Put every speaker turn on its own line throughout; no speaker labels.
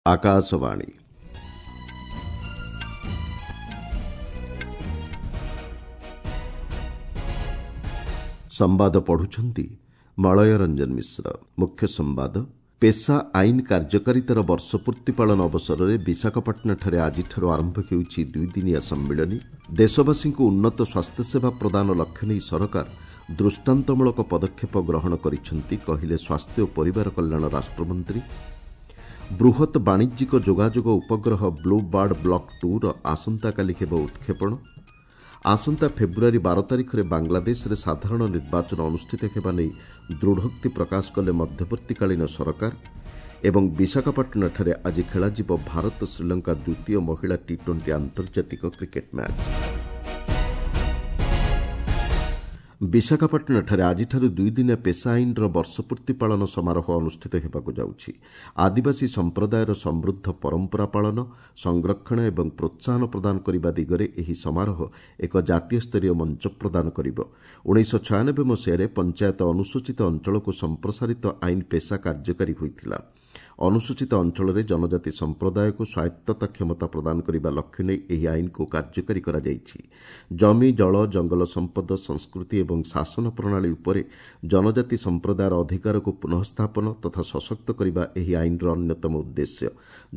ଆକାଶବାଣୀ। ସମ୍ବାଦ ପଢୁଛନ୍ତି ମଳୟ ରଞ୍ଜନ ମିଶ୍ର। ମୁଖ୍ୟ ସମ୍ବାଦ। ପେସା ଆଇନ କାର୍ଯ୍ୟକାରିତାର ବର୍ଷପୂର୍ତ୍ତି ପାଳନ ଅବସରରେ ବିଶାଖାପାଟଣାଠାରେ ଆଜିଠାରୁ ଆରମ୍ଭ ହେଉଛି ଦୁଇଦିନିଆ ସମ୍ମିଳନୀ। ଦେଶବାସୀଙ୍କୁ ଉନ୍ନତ ସ୍ୱାସ୍ଥ୍ୟସେବା ପ୍ରଦାନ ଲକ୍ଷ୍ୟ ନେଇ ସରକାର ଦୃଷ୍ଟାନ୍ତମୂଳକ ପଦକ୍ଷେପ ଗ୍ରହଣ କରିଛନ୍ତି, କହିଲେ ସ୍ୱାସ୍ଥ୍ୟ ଓ ପରିବାର କଲ୍ୟାଣ ରାଷ୍ଟ୍ରମନ୍ତ୍ରୀ। ବୃହତ୍ ବାଣିଜ୍ୟିକ ଯୋଗାଯୋଗ ଉପଗ୍ରହ ବ୍ଲୁ ବାର୍ଡ ବ୍ଲକ୍ 2ର ଆସନ୍ତାକାଲି ହେବ ଉତ୍କ୍ଷେପଣ। ଆସନ୍ତା ଫେବୃଆରୀ 12 ତାରିଖରେ ବାଂଲାଦେଶରେ ସାଧାରଣ ନିର୍ବାଚନ ଅନୁଷ୍ଠିତ ହେବା ନେଇ ଦୃଢ଼ୋକ୍ତି ପ୍ରକାଶ କଲେ ମଧ୍ୟବର୍ତ୍ତୀକାଳୀନ ସରକାର। ଏବଂ ବିଶାଖାପାଟଣାଠାରେ ଆଜି ଖେଳାଯିବ ଭାରତ ଶ୍ରୀଲଙ୍କା ଦ୍ୱିତୀୟ ମହିଳା ଟି 20 ଆନ୍ତର୍ଜାତିକ କ୍ରିକେଟ୍ ମ୍ୟାଚ୍। ବିଶାଖାପାଟଣାଠାରେ ଆଜିଠାରୁ ଦୁଇଦିନିଆ ପେସା ଆଇନର ବର୍ଷପୂର୍ତ୍ତି ପାଳନ ସମାରୋହ ଅନୁଷ୍ଠିତ ହେବାକୁ ଯାଉଛି। ଆଦିବାସୀ ସମ୍ପ୍ରଦାୟର ସମୃଦ୍ଧ ପରମ୍ପରା ପାଳନ, ସଂରକ୍ଷଣ ଏବଂ ପ୍ରୋତ୍ସାହନ ପ୍ରଦାନ କରିବା ଦିଗରେ ଏହି ସମାରୋହ ଏକ ଜାତୀୟ ସ୍ତରୀୟ ମଞ୍ଚ ପ୍ରଦାନ କରିବ। 1996 ମସିହାରେ ପଞ୍ଚାୟତ ଅନୁସୂଚିତ ଅଞ୍ଚଳକୁ ସମ୍ପ୍ରସାରିତ ଆଇନ ପେସା କାର୍ଯ୍ୟକାରୀ ହୋଇଥିଲା। ଅନୁସୂଚିତ ଅଞ୍ଚଳରେ ଜନଜାତି ସମ୍ପ୍ରଦାୟକୁ ସ୍ୱାୟତ୍ତତା କ୍ଷମତା ପ୍ରଦାନ କରିବା ଲକ୍ଷ୍ୟ ନେଇ ଏହି ଆଇନକୁ କାର୍ଯ୍ୟକାରୀ କରାଯାଇଛି। ଜମି, ଜଳ, ଜଙ୍ଗଲ ସମ୍ପଦ, ସଂସ୍କୃତି ଏବଂ ଶାସନ ପ୍ରଣାଳୀ ଉପରେ ଜନଜାତି ସମ୍ପ୍ରଦାୟର ଅଧିକାରକୁ ପୁନଃସ୍ଥାପନ ତଥା ସଶକ୍ତ କରିବା ଏହି ଆଇନର ଅନ୍ୟତମ ଉଦ୍ଦେଶ୍ୟ।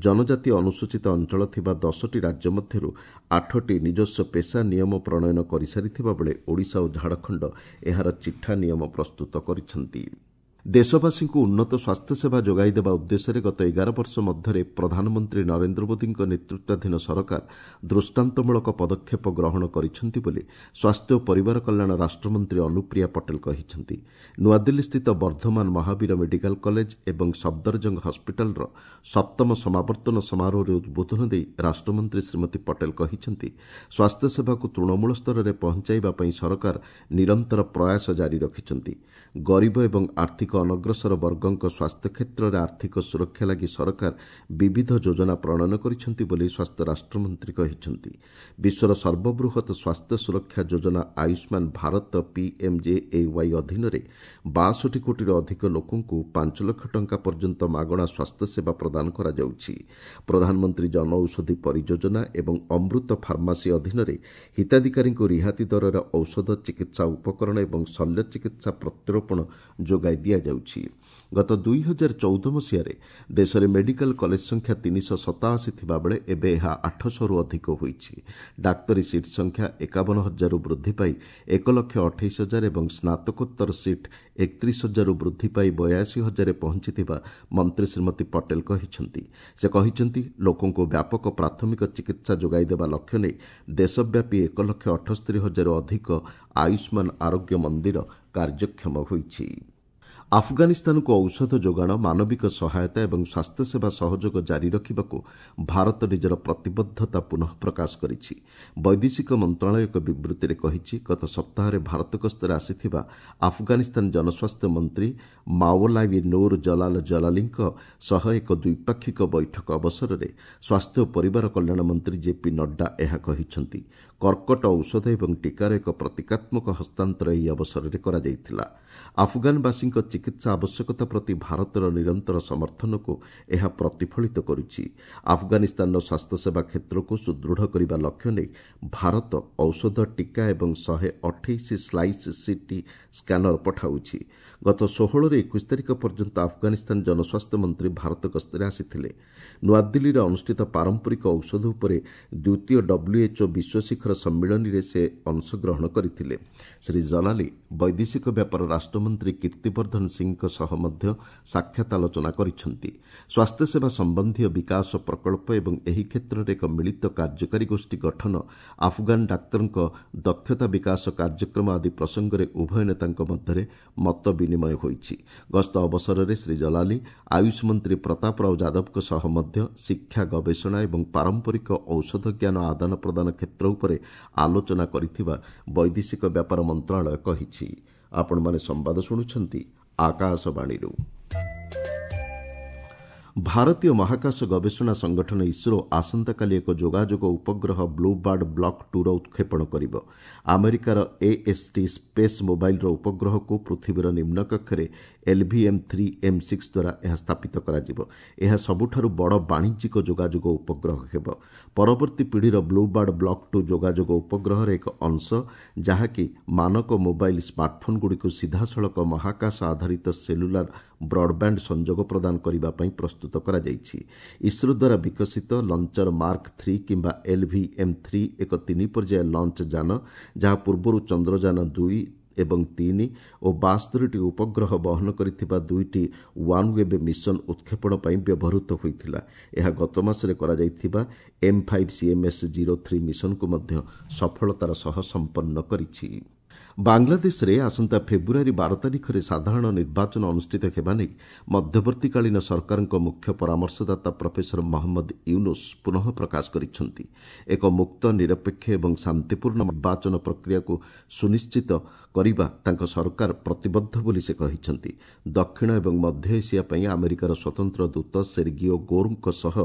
ଜନଜାତି ଅନୁସୂଚିତ ଅଞ୍ଚଳ ଥିବା 10ଟି ରାଜ୍ୟ ମଧ୍ୟରୁ 8ଟି ନିଜସ୍ୱ ପେସା ନିୟମ ପ୍ରଣୟନ କରିସାରିଥିବା ବେଳେ ଓଡ଼ିଶା ଓ ଝାଡ଼ଖଣ୍ଡ ଏହାର ଚିଠା ନିୟମ ପ୍ରସ୍ତୁତ କରିଛନ୍ତି। ଦେଶବାସୀଙ୍କୁ ଉନ୍ନତ ସ୍ୱାସ୍ଥ୍ୟସେବା ଯୋଗାଇ ଦେବା ଉଦ୍ଦେଶ୍ୟରେ ଗତ 11 ବର୍ଷ ମଧ୍ୟରେ ପ୍ରଧାନମନ୍ତ୍ରୀ ନରେନ୍ଦ୍ର ମୋଦିଙ୍କ ନେତୃତ୍ୱାଧୀନ ସରକାର ଦୃଷ୍ଟାନ୍ତମୂଳକ ପଦକ୍ଷେପ ଗ୍ରହଣ କରିଛନ୍ତି ବୋଲି ସ୍ୱାସ୍ଥ୍ୟ ଓ ପରିବାର କଲ୍ୟାଣ ରାଷ୍ଟ୍ରମନ୍ତ୍ରୀ ଅନୁପ୍ରିୟା ପଟେଲ କହିଛନ୍ତି। ନୂଆଦିଲ୍ଲୀସ୍ଥିତ ବର୍ଦ୍ଧମାନ ମହାବୀର ମେଡିକାଲ କଲେଜ ଏବଂ ସଫଦରଜଙ୍ଗ ହସ୍ପିଟାଲର ସପ୍ତମ ସମାବର୍ତ୍ତନ ସମାରୋହରେ ଉଦ୍ବୋଧନ ଦେଇ ରାଷ୍ଟ୍ରମନ୍ତ୍ରୀ ଶ୍ରୀମତୀ ପଟେଲ କହିଛନ୍ତି, ସ୍ୱାସ୍ଥ୍ୟସେବାକୁ ତୃଣମୂଳ ସ୍ତରରେ ପହଞ୍ଚାଇବା ପାଇଁ ସରକାର ନିରନ୍ତର ପ୍ରୟାସ ଜାରି ରଖିଛନ୍ତି। ଗରିବ ଏବଂ ଆର୍ଥିକ ଅନଗ୍ରସର ବର୍ଗଙ୍କ ସ୍ୱାସ୍ଥ୍ୟ କ୍ଷେତ୍ରରେ ଆର୍ଥିକ ସୁରକ୍ଷା ଲାଗି ସରକାର ବିବିଧ ଯୋଜନା ପ୍ରଣୟନ କରିଛନ୍ତି ବୋଲି ସ୍ୱାସ୍ଥ୍ୟ ରାଷ୍ଟ୍ରମନ୍ତ୍ରୀ କହିଛନ୍ତି। ବିଶ୍ୱର ସର୍ବବୃହତ୍ ସ୍ୱାସ୍ଥ୍ୟ ସୁରକ୍ଷା ଯୋଜନା ଆୟୁଷ୍ମାନ ଭାରତ ପିଏମ୍ଜେଏୱାଇ ଅଧୀନରେ 62 କୋଟିରୁ ଅଧିକ ଲୋକଙ୍କୁ 5 ଲକ୍ଷ ଟଙ୍କା ପର୍ଯ୍ୟନ୍ତ ମାଗଣା ସ୍ୱାସ୍ଥ୍ୟସେବା ପ୍ରଦାନ କରାଯାଉଛି। ପ୍ରଧାନମନ୍ତ୍ରୀ ଜନଔଷଧି ପରିଯୋଜନା ଏବଂ ଅମୃତ ଫାର୍ମାସୀ ଅଧୀନରେ ହିତାଧିକାରୀଙ୍କୁ ରିହାତି ଦରରେ ଔଷଧ, ଚିକିତ୍ସା ଉପକରଣ ଏବଂ ଶଲ୍ୟ ଚିକିତ୍ସା ପ୍ରତ୍ୟାରୋପଣ ଯୋଗାଇ ଦିଆଯାଉଛି। ଗତ 2014 ମସିହାରେ ଦେଶରେ ମେଡିକାଲ କଲେଜ ସଂଖ୍ୟା 387 ଥିବାବେଳେ ଏବେ ଏହା 800ରୁ ଅଧିକ ହୋଇଛି। ଡାକ୍ତରୀ ସିଟ୍ ସଂଖ୍ୟା 51 ହଜାରରୁ ବୃଦ୍ଧି ପାଇ 1 ଲକ୍ଷ 28 ହଜାର ଏବଂ ସ୍ନାତକୋତ୍ତର ସିଟ୍ 31 ହଜାରରୁ ବୃଦ୍ଧି ପାଇ 82 ହଜାରରେ ପହଞ୍ଚିଥିବା ମନ୍ତ୍ରୀ ଶ୍ରୀମତୀ ପଟେଲ କହିଛନ୍ତି। ସେ କହିଛନ୍ତି, ଲୋକଙ୍କୁ ବ୍ୟାପକ ପ୍ରାଥମିକ ଚିକିତ୍ସା ଯୋଗାଇ ଦେବା ଲକ୍ଷ୍ୟ ନେଇ ଦେଶବ୍ୟାପୀ 1 ଲକ୍ଷ 78 ହଜାରରୁ ଅଧିକ ଆୟୁଷ୍ମାନ ଆରୋଗ୍ୟ ମନ୍ଦିର କାର୍ଯ୍ୟକ୍ଷମ ହୋଇଛି। ଆଫଗାନିସ୍ତାନକୁ ଔଷଧ ଯୋଗାଣ, ମାନବିକ ସହାୟତା ଏବଂ ସ୍ୱାସ୍ଥ୍ୟସେବା ସହଯୋଗ ଜାରି ରଖିବାକୁ ଭାରତ ନିଜର ପ୍ରତିବଦ୍ଧତା ପୁନଃ ପ୍ରକାଶ କରିଛି। ବୈଦେଶିକ ମନ୍ତ୍ରଣାଳୟ ଏକ ବିବୃତ୍ତିରେ କହିଛି, ଗତ ସପ୍ତାହରେ ଭାରତ ଗସ୍ତରେ ଆସିଥିବା ଆଫଗାନିସ୍ତାନ ଜନସ୍ୱାସ୍ଥ୍ୟ ମନ୍ତ୍ରୀ ମାଓଲାୱି ନୁର ଜଲାଲ ଜଲାଲିଙ୍କ ସହ ଏକ ଦ୍ୱିପାକ୍ଷିକ ବୈଠକ ଅବସରରେ ସ୍ୱାସ୍ଥ୍ୟ ଓ ପରିବାର କଲ୍ୟାଣ ମନ୍ତ୍ରୀ ଜେପି ନଡ୍ଡା ଏହା କହିଛନ୍ତି। କର୍କଟ ଔଷଧ ଏବଂ ଟିକାର ଏକ ପ୍ରତୀକାତ୍ମକ ହସ୍ତାନ୍ତର ଏହି ଅବସରରେ କରାଯାଇଥିଲା। ଆଫଗାନବାସୀଙ୍କ ଚିକିତ୍ସା ଆବଶ୍ୟକତା ପ୍ରତି ଭାରତର ନିରନ୍ତର ସମର୍ଥନକୁ ଏହା ପ୍ରତିଫଳିତ କରୁଛି। ଆଫଗାନିସ୍ତାନର ସ୍ୱାସ୍ଥ୍ୟସେବା କ୍ଷେତ୍ରକୁ ସୁଦୃଢ଼ କରିବା ଲକ୍ଷ୍ୟ ନେଇ ଭାରତ ଔଷଧ, ଟିକା ଏବଂ 128 ସ୍ଲାଇସ୍ ସିଟି ସ୍କାନର ପଠାଉଛି। ଗତ 16ରୁ 21 ତାରିଖ ପର୍ଯ୍ୟନ୍ତ ଆଫଗାନିସ୍ତାନ ଜନସ୍ୱାସ୍ଥ୍ୟ ମନ୍ତ୍ରୀ ଭାରତ ଗସ୍ତରେ ଆସିଥିଲେ। ନୂଆଦିଲ୍ଲୀରେ ଅନୁଷ୍ଠିତ ପାରମ୍ପରିକ ଔଷଧ ଉପରେ ଦ୍ୱିତୀୟ WHO ବିଶ୍ୱ ଶିଖର ସମ୍ମିଳନୀରେ ସେ ଅଂଶଗ୍ରହଣ କରିଥିଲେ। ଶ୍ରୀ ଜଲାଲି ବୈଦେଶିକ ବ୍ୟାପାର ରାଷ୍ଟ୍ରମନ୍ତ୍ରୀ କୀର୍ତ୍ତିବର୍ଦ୍ଧନ ସିଂଙ୍କ ସହ ମଧ୍ୟ ସାକ୍ଷାତ ଆଲୋଚନା କରିଛନ୍ତି। ସ୍ୱାସ୍ଥ୍ୟସେବା ସମ୍ବନ୍ଧୀୟ ବିକାଶ ପ୍ରକଳ୍ପ ଏବଂ ଏହି କ୍ଷେତ୍ରରେ ଏକ ମିଳିତ କାର୍ଯ୍ୟକାରୀ ଗୋଷ୍ଠୀ ଗଠନ, ଆଫଗାନ ଡାକ୍ତରଙ୍କ ଦକ୍ଷତା ବିକାଶ କାର୍ଯ୍ୟକ୍ରମ ଆଦି ପ୍ରସଙ୍ଗରେ ଉଭୟ ନେତାଙ୍କ ମଧ୍ୟରେ ମତ ବିନିମୟ ହୋଇଛି। ଗସ୍ତ ଅବସରରେ ଶ୍ରୀ ଜଲାଲି ଆୟୁଷ ମନ୍ତ୍ରୀ ପ୍ରତାପ ରାଓ ଯାଦବଙ୍କ ସହ ମଧ୍ୟ ଶିକ୍ଷା, ଗବେଷଣା ଏବଂ ପାରମ୍ପରିକ ଔଷଧ ଜ୍ଞାନ ଆଦାନ ପ୍ରଦାନ କ୍ଷେତ୍ର ଉପରେ ଆଲୋଚନା କରିଥିବା ବୈଦେଶିକ ବ୍ୟାପାର ମନ୍ତ୍ରଣାଳୟ କହିଛି। ଆପଣମାନେ ସମ୍ବାଦ ଶୁଣୁଛନ୍ତି ଆକାଶବାଣୀରୁ। ଭାରତୀୟ ମହାକାଶ ଗବେଷଣା ସଂଗଠନ ଇସ୍ରୋ ଆସନ୍ତାକାଲି ଏକ ଯୋଗାଯୋଗ ଉପଗ୍ରହ ବ୍ଲୁ ବାର୍ଡ ବ୍ଲକ୍ 2ର ଉତ୍କ୍ଷେପଣ କରିବ। ଆମେରିକାର ଏଏସ୍ଟି ସ୍ପେସ୍ ମୋବାଇଲର ଉପଗ୍ରହକୁ ପୃଥିବୀର ନିମ୍ନ କକ୍ଷରେ ଏଲ୍ଭିଏମ୍ ଥ୍ରୀ ଏମ୍ ସିକ୍ସ ଦ୍ୱାରା ଏହା ସ୍ଥାପିତ କରାଯିବ। ଏହା ସବୁଠାରୁ ବଡ଼ ବାଣିଜ୍ୟିକ ଯୋଗାଯୋଗ ଉପଗ୍ରହ ହେବ। ପରବର୍ତ୍ତୀ ପିଢ଼ିର ବ୍ଲୁବାର୍ଡ ବ୍ଲକ୍ ଟୁ ଯୋଗାଯୋଗ ଉପଗ୍ରହର ଏକ ଅଂଶ, ଯାହାକି ମାନକ ମୋବାଇଲ୍ ସ୍ମାର୍ଟଫୋନ୍ଗୁଡ଼ିକୁ ସିଧାସଳଖ ମହାକାଶ ଆଧାରିତ ସେଲୁଲାର ବ୍ରଡ୍ବ୍ୟାଣ୍ଡ ସଂଯୋଗ ପ୍ରଦାନ କରିବା ପାଇଁ ପ୍ରସ୍ତୁତ କରାଯାଇଛି। ଇସ୍ରୋ ଦ୍ୱାରା ବିକଶିତ ଲଞ୍ଚର ମାର୍କ ଥ୍ରୀ କିମ୍ବା ଏଲ୍ଭିଏମ୍ ଥ୍ରୀ ଏକ ତିନି ପର୍ଯ୍ୟାୟ ଲଞ୍ଚ ଯାନ, ଯାହା ପୂର୍ବରୁ ଚନ୍ଦ୍ରଯାନ 2 ଏବଂ 3 ଓ 72ଟି ଉପଗ୍ରହ ବହନ କରିଥିବା ଦୁଇଟି ୱାନ୍ ୱେବ୍ ମିଶନ ଉତ୍କ୍ଷେପଣ ପାଇଁ ବ୍ୟବହୃତ ହୋଇଥିଲା। ଏହା ଗତମାସରେ କରାଯାଇଥିବା ଏମ୍ ଫାଇଭ୍ ସିଏମ୍ଏସ୍ 03 ମିଶନକୁ ମଧ୍ୟ ସଫଳତାର ସହ ସମ୍ପନ୍ନ କରିଛି। ବାଂଲାଦେଶରେ ଆସନ୍ତା ଫେବୃଆରୀ 12 ତାରିଖରେ ସାଧାରଣ ନିର୍ବାଚନ ଅନୁଷ୍ଠିତ ହେବା ନେଇ ମଧ୍ୟବର୍ତ୍ତୀକାଳୀନ ସରକାରଙ୍କ ମୁଖ୍ୟ ପରାମର୍ଶଦାତା ପ୍ରଫେସର ମହମ୍ମଦ ୟୁନୁସ୍ ପୁନଃ ପ୍ରକାଶ କରିଛନ୍ତି। ଏକ ମୁକ୍ତ, ନିରପେକ୍ଷ ଏବଂ ଶାନ୍ତିପୂର୍ଣ୍ଣ ନିର୍ବାଚନ ପ୍ରକ୍ରିୟାକୁ ସୁନିଶ୍ଚିତ କରିବା ତାଙ୍କ ସରକାର ପ୍ରତିବଦ୍ଧ ବୋଲି ସେ କହିଛନ୍ତି। ଦକ୍ଷିଣ ଏବଂ ମଧ୍ୟ ଏସିଆ ପାଇଁ ଆମେରିକାର ସ୍ୱତନ୍ତ୍ର ଦୂତ ସେର୍ଗିଓ ଗୋର୍ଙ୍କ ସହ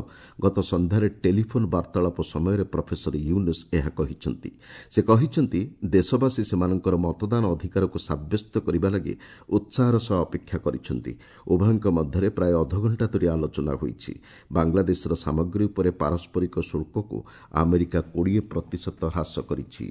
ଗତ ସନ୍ଧ୍ୟାରେ ଟେଲିଫୋନ୍ ବାର୍ତ୍ତାଳାପ ସମୟରେ ପ୍ରଫେସର ୟୁନୁସ୍ ଏହା କହିଛନ୍ତି। ସେ କହିଛନ୍ତି, ଦେଶବାସୀ ସେମାନଙ୍କର ମତଦାନ ଅଧିକାରକୁ ସାବ୍ୟସ୍ତ କରିବା ଲାଗି ଉତ୍ସାହର ସହ ଅପେକ୍ଷା କରିଛନ୍ତି। ଉଭୟଙ୍କ ମଧ୍ୟରେ ପ୍ରାୟ ଅଧଘଣ୍ଟା ଧରି ଆଲୋଚନା ହୋଇଛି। ବାଂଲାଦେଶର ସାମଗ୍ରୀ ଉପରେ ପାରସ୍ପରିକ ଶୁଳ୍କକୁ ଆମେରିକା 20 ପ୍ରତିଶତ ହ୍ରାସ କରିଛି।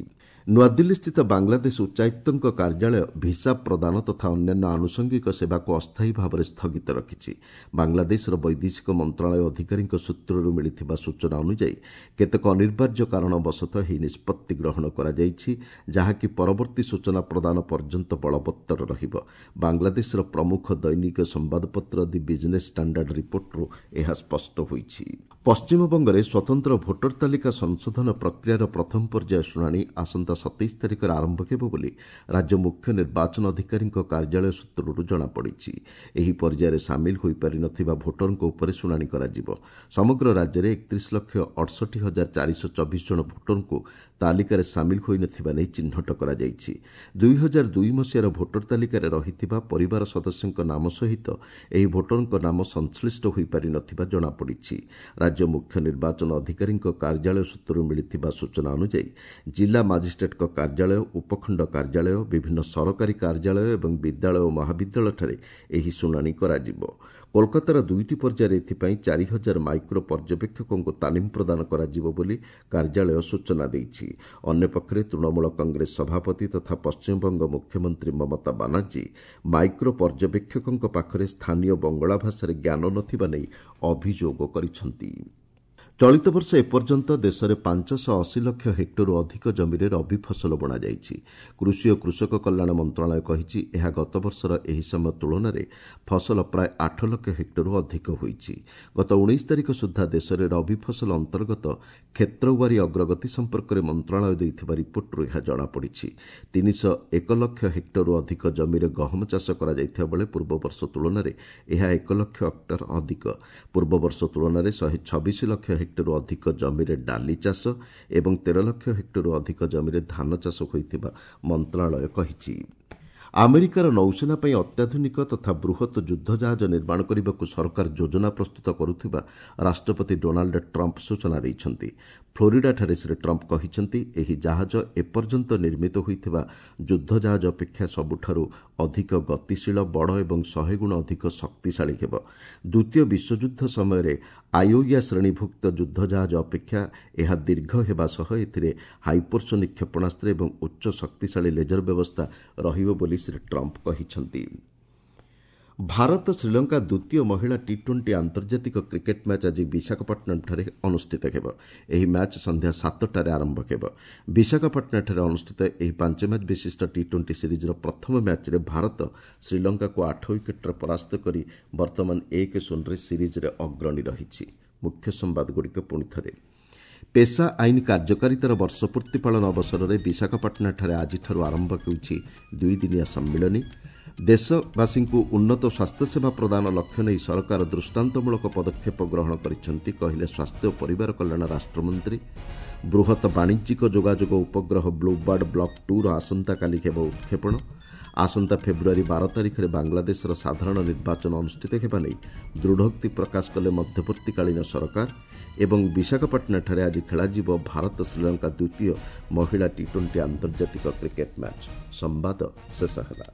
ନୂଆଦିଲ୍ଲୀସ୍ଥିତ ବାଂଲାଦେଶ ଉଚ୍ଚାୟୁକ୍ତଙ୍କ କାର୍ଯ୍ୟାଳୟ ଭିସା ପ୍ରଦାନ ତଥା ଅନ୍ୟାନ୍ୟ ଆନୁଷଙ୍ଗିକ ସେବାକୁ ଅସ୍ଥାୟୀ ଭାବରେ ସ୍ଥଗିତ ରଖିଛି। ବାଂଲାଦେଶର ବୈଦେଶିକ ମନ୍ତ୍ରଣାଳୟ ଅଧିକାରୀଙ୍କ ସୂତ୍ରରୁ ମିଳିଥିବା ସୂଚନା ଅନୁଯାୟୀ କେତେକ ଅନିବାର୍ଯ୍ୟ କାରଣବଶତଃ ଏହି ନିଷ୍ପତ୍ତି ଗ୍ରହଣ କରାଯାଇଛି, ଯାହାକି ପରବର୍ତ୍ତୀ ସୂଚନା ପ୍ରଦାନ ପର୍ଯ୍ୟନ୍ତ ବଳବତ୍ତର ରହିବ। ବାଂଲାଦେଶର ପ୍ରମୁଖ ଦୈନିକ ସମ୍ବାଦପତ୍ର ଦି ବିଜ୍ନେସ୍ ଷ୍ଟାଣ୍ଡାର୍ଡ ରିପୋର୍ଟରୁ ଏହା ସ୍ପଷ୍ଟ ହୋଇଛି। ପଶ୍ଚିମବଙ୍ଗରେ ସ୍ୱତନ୍ତ୍ର ଭୋଟର ତାଲିକା ସଂଶୋଧନ ପ୍ରକ୍ରିୟାର ପ୍ରଥମ ପର୍ଯ୍ୟାୟ ଶୁଣାଣି ଆସନ୍ତା 27 ତାରିଖରେ ଆରମ୍ଭ ହେବ ବୋଲି ରାଜ୍ୟ ମୁଖ୍ୟ ନିର୍ବାଚନ ଅଧିକାରୀଙ୍କ କାର୍ଯ୍ୟାଳୟ ସୂତ୍ରରୁ ଜଣାପଡ଼ିଛି। ଏହି ପର୍ଯ୍ୟାୟରେ ସାମିଲ ହୋଇପାରିନଥିବା ଭୋଟରଙ୍କ ଉପରେ ଶୁଣାଣି କରାଯିବ। ସମଗ୍ର ରାଜ୍ୟରେ 31,68,424 ଜଣ ଭୋଟରଙ୍କୁ ତାଲିକାରେ ସାମିଲ ହୋଇନଥିବା ନେଇ ଚିହ୍ନଟ କରାଯାଇଛି। 2002 ମସିହାର ଭୋଟର ତାଲିକାରେ ରହିଥିବା ପରିବାର ସଦସ୍ୟଙ୍କ ନାମ ସହିତ ଏହି ଭୋଟରଙ୍କ ନାମ ସଂଶ୍ଳିଷ୍ଟ ହୋଇପାରିନଥିବା ଜଣାପଡ଼ିଛି। ରାଜ୍ୟ ମୁଖ୍ୟ ନିର୍ବାଚନ ଅଧିକାରୀଙ୍କ କାର୍ଯ୍ୟାଳୟ ସୂତ୍ରରୁ ମିଳିଥିବା ସୂଚନା ଅନୁଯାୟୀ ଜିଲ୍ଲା ମାଜିଷ୍ଟ୍ରେଟଙ୍କ କାର୍ଯ୍ୟାଳୟ, ଉପଖଣ୍ଡ କାର୍ଯ୍ୟାଳୟ, ବିଭିନ୍ନ ସରକାରୀ କାର୍ଯ୍ୟାଳୟ ଏବଂ ବିଦ୍ୟାଳୟ ଓ ମହାବିଦ୍ୟାଳୟଠାରେ ଏହି ଶୁଣାଣି କରାଯିବ। କୋଲକାତାର ଦୁଇଟି ପର୍ଯ୍ୟାୟରେ ଏଥିପାଇଁ 4000 ମାଇକ୍ରୋ ପର୍ଯ୍ୟବେକ୍ଷକଙ୍କୁ ତାଲିମ ପ୍ରଦାନ କରାଯିବ ବୋଲି କାର୍ଯ୍ୟାଳୟ ସୂଚନା ଦେଇଛି। ଅନ୍ୟପକ୍ଷରେ ତୃଣମୂଳ କଂଗ୍ରେସ ସଭାପତି ତଥା ପଶ୍ଚିମବଙ୍ଗ ମୁଖ୍ୟମନ୍ତ୍ରୀ ମମତା ବାନାର୍ଜୀ ମାଇକ୍ରୋ ପର୍ଯ୍ୟବେକ୍ଷକଙ୍କ ପାଖରେ ସ୍ଥାନୀୟ ବଙ୍ଗଳା ଭାଷାରେ ଜ୍ଞାନ ନଥିବା ନେଇ ଅଭିଯୋଗ କରିଛନ୍ତି। ଚଳିତ ବର୍ଷ ଏପର୍ଯ୍ୟନ୍ତ ଦେଶରେ 580 ଲକ୍ଷ ହେକ୍ଟରରୁ ଅଧିକ ଜମିରେ ରବି ଫସଲ ବୁଣାଯାଇଛି। କୃଷି ଓ କୃଷକ କଲ୍ୟାଣ ମନ୍ତ୍ରଣାଳୟ କହିଛି, ଏହା ଗତବର୍ଷର ଏହି ସମୟ ତୁଳନାରେ ଫସଲ ପ୍ରାୟ 8 ଲକ୍ଷ ହେକ୍ଟରରୁ ଅଧିକ ହୋଇଛି। ଗତ 19 ତାରିଖ ସୁଦ୍ଧା ଦେଶରେ ରବି ଫସଲ ଅନ୍ତର୍ଗତ କ୍ଷେତ୍ରୱାରୀ ଅଗ୍ରଗତି ସମ୍ପର୍କରେ ମନ୍ତ୍ରଣାଳୟ ଦେଇଥିବା ରିପୋର୍ଟରୁ ଏହା ଜଣାପଡ଼ିଛି। 301 ଲକ୍ଷ ହେକ୍ଟରରୁ ଅଧିକ ଜମିରେ ଗହମ ଚାଷ କରାଯାଇଥିବା ବେଳେ ପୂର୍ବବର୍ଷ ତୁଳନାରେ ଏହା 1 ଲକ୍ଷ ହେକ୍ଟର ଅଧିକ। ପୂର୍ବବର୍ଷ ତୁଳନାରେ 126 ଲକ୍ଷ ହେକ୍ଟରରୁ ଅଧିକ ଜମିରେ ଡାଲି ଚାଷ ଏବଂ 13 ଲକ୍ଷ ହେକ୍ଟରରୁ ଅଧିକ ଜମିରେ ଧାନ ଚାଷ ହୋଇଥିବା ମନ୍ତ୍ରଣାଳୟ କହିଛି। ଆମେରିକାର ନୌସେନା ପାଇଁ ଅତ୍ୟାଧୁନିକ ତଥା ବୃହତ୍ ଯୁଦ୍ଧ ଜାହାଜ ନିର୍ମାଣ କରିବାକୁ ସରକାର ଯୋଜନା ପ୍ରସ୍ତୁତ କରୁଥିବା ରାଷ୍ଟ୍ରପତି ଡୋନାଲ୍ଡ ଟ୍ରମ୍ପ ସୂଚନା ଦେଇଛନ୍ତି। ଫ୍ଲୋରିଡାଠାରେ ଶ୍ରୀ ଟ୍ରମ୍ପ କହିଛନ୍ତି, ଏହି ଜାହାଜ ଏପର୍ଯ୍ୟନ୍ତ ନିର୍ମିତ ହୋଇଥିବା ଯୁଦ୍ଧ ଜାହାଜ ଅପେକ୍ଷା ସବୁଠାରୁ ଅଧିକ ଗତିଶୀଳ, ବଡ଼ ଏବଂ 100 ଗୁଣ ଅଧିକ ଶକ୍ତିଶାଳୀ ହେବ। ଦ୍ୱିତୀୟ ବିଶ୍ୱଯୁଦ୍ଧ ସମୟରେ ଆଇଓୟା ଶ୍ରେଣୀଭୁକ୍ତ ଯୁଦ୍ଧ ଜାହାଜ ଅପେକ୍ଷା ଏହା ଦୀର୍ଘ ହେବା ସହ ଏଥିରେ ହାଇପରସୋନିକ୍ କ୍ଷେପଣାସ୍ତ୍ର ଏବଂ ଉଚ୍ଚ ଶକ୍ତିଶାଳୀ ଲେଜର ବ୍ୟବସ୍ଥା ରହିବ ବୋଲି ଶ୍ରୀ ଟ୍ରମ୍ପ କହିଛନ୍ତି। ଭାରତ ଶ୍ରୀଲଙ୍କା ଦ୍ୱିତୀୟ ମହିଳା ଟି ଟ୍ୱେଣ୍ଟି ଆନ୍ତର୍ଜାତିକ କ୍ରିକେଟ୍ ମ୍ୟାଚ୍ ଆଜି ବିଶାଖାପଟ୍ଟନମଠାରେ ଅନୁଷ୍ଠିତ ହେବ। ଏହି ମ୍ୟାଚ୍ ସନ୍ଧ୍ୟା 7ଟାରେ ଆରମ୍ଭ ହେବ। ବିଶାଖାପାଟଣାଠାରେ ଅନୁଷ୍ଠିତ ଏହି 5 ମ୍ୟାଚ୍ ବିଶିଷ୍ଟ ଟି ଟ୍ୱେଣ୍ଟି ସିରିଜ୍ର ପ୍ରଥମ ମ୍ୟାଚ୍ରେ ଭାରତ ଶ୍ରୀଲଙ୍କାକୁ 8 ୱିକେଟ୍ରେ ପରାସ୍ତ କରି ବର୍ତ୍ତମାନ 1-0ରେ ସିରିଜ୍ରେ ଅଗ୍ରଣୀ ରହିଛି। ମୁଖ୍ୟ ସମ୍ବାଦଗୁଡ଼ିକ ପୁଣି ଥରେ। ପେସା ଆଇନ କାର୍ଯ୍ୟକାରିତାର ବର୍ଷପୂର୍ତ୍ତି ପାଳନ ଅବସରରେ ବିଶାଖାପାଟଣାଠାରେ ଆଜିଠାରୁ ଆରମ୍ଭ ହେଉଛି ଦୁଇଦିନିଆ ସମ୍ମିଳନୀ। ଦେଶବାସୀଙ୍କୁ ଉନ୍ନତ ସ୍ୱାସ୍ଥ୍ୟସେବା ପ୍ରଦାନ ଲକ୍ଷ୍ୟ ନେଇ ସରକାର ଦୃଷ୍ଟାନ୍ତମୂଳକ ପଦକ୍ଷେପ ଗ୍ରହଣ କରିଛନ୍ତି, କହିଲେ ସ୍ୱାସ୍ଥ୍ୟ ଓ ପରିବାର କଲ୍ୟାଣ ରାଷ୍ଟ୍ରମନ୍ତ୍ରୀ। ବୃହତ ବାଣିଜ୍ୟିକ ଯୋଗାଯୋଗ ଉପଗ୍ରହ ବ୍ଲୁବାର୍ଡ ବ୍ଲକ୍ ଟୁର ଆସନ୍ତାକାଲି ହେବ ଉତ୍କ୍ଷେପଣ। ଆସନ୍ତା ଫେବୃଆରୀ 12 ତାରିଖରେ ବାଂଲାଦେଶର ସାଧାରଣ ନିର୍ବାଚନ ଅନୁଷ୍ଠିତ ହେବା ନେଇ ଦୃଢ଼ୋକ୍ତି ପ୍ରକାଶ କଲେ ମଧ୍ୟବର୍ତ୍ତୀକାଳୀନ ସରକାର। ଏବଂ ବିଶାଖାପାଟଣାଠାରେ ଆଜି ଖେଳାଯିବ ଭାରତ ଶ୍ରୀଲଙ୍କା ଦ୍ୱିତୀୟ ମହିଳା ଟି ଟ୍ୱେଣ୍ଟି ଆନ୍ତର୍ଜାତିକ କ୍ରିକେଟ୍ ମ୍ୟାଚ୍। ସମ୍ବାଦ ଶେଷ ହେଲା।